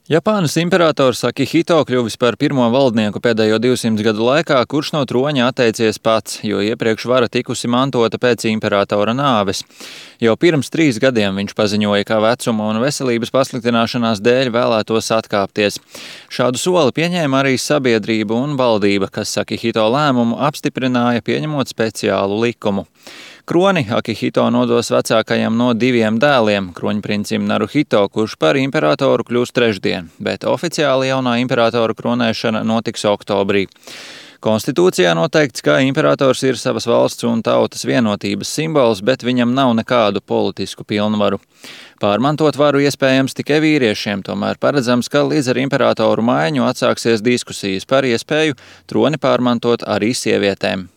Japānas imperators Akihito kļuvis par pirmo valdnieku pēdējo 200 gadu laikā, kurš no troņa atteicies pats, jo iepriekš vara tikusi mantota pēc imperatora nāves. Jau pirms 3 gadiem viņš paziņoja, ka vecuma un veselības pasliktināšanās dēļ vēlētos atkāpties. Šādu soli pieņēma arī sabiedrība un valdība, kas Akihito lēmumu apstiprināja, pieņemot speciālu likumu. Kroni Akihito nodos vecākajam no 2 dēliem, kroņprincim Naruhito, kurš par imperatoru kļūs trešdien, bet oficiāli jaunā imperatora kronēšana notiks oktobrī. Konstitūcijā noteikts, ka imperators ir savas valsts un tautas vienotības simbols, bet viņam nav nekādu politisku pilnvaru. Pārmantot varu iespējams tikai vīriešiem, tomēr paredzams, ka līdz ar imperatoru maiņu atsāksies diskusijas par iespēju troni pārmantot arī sievietēm.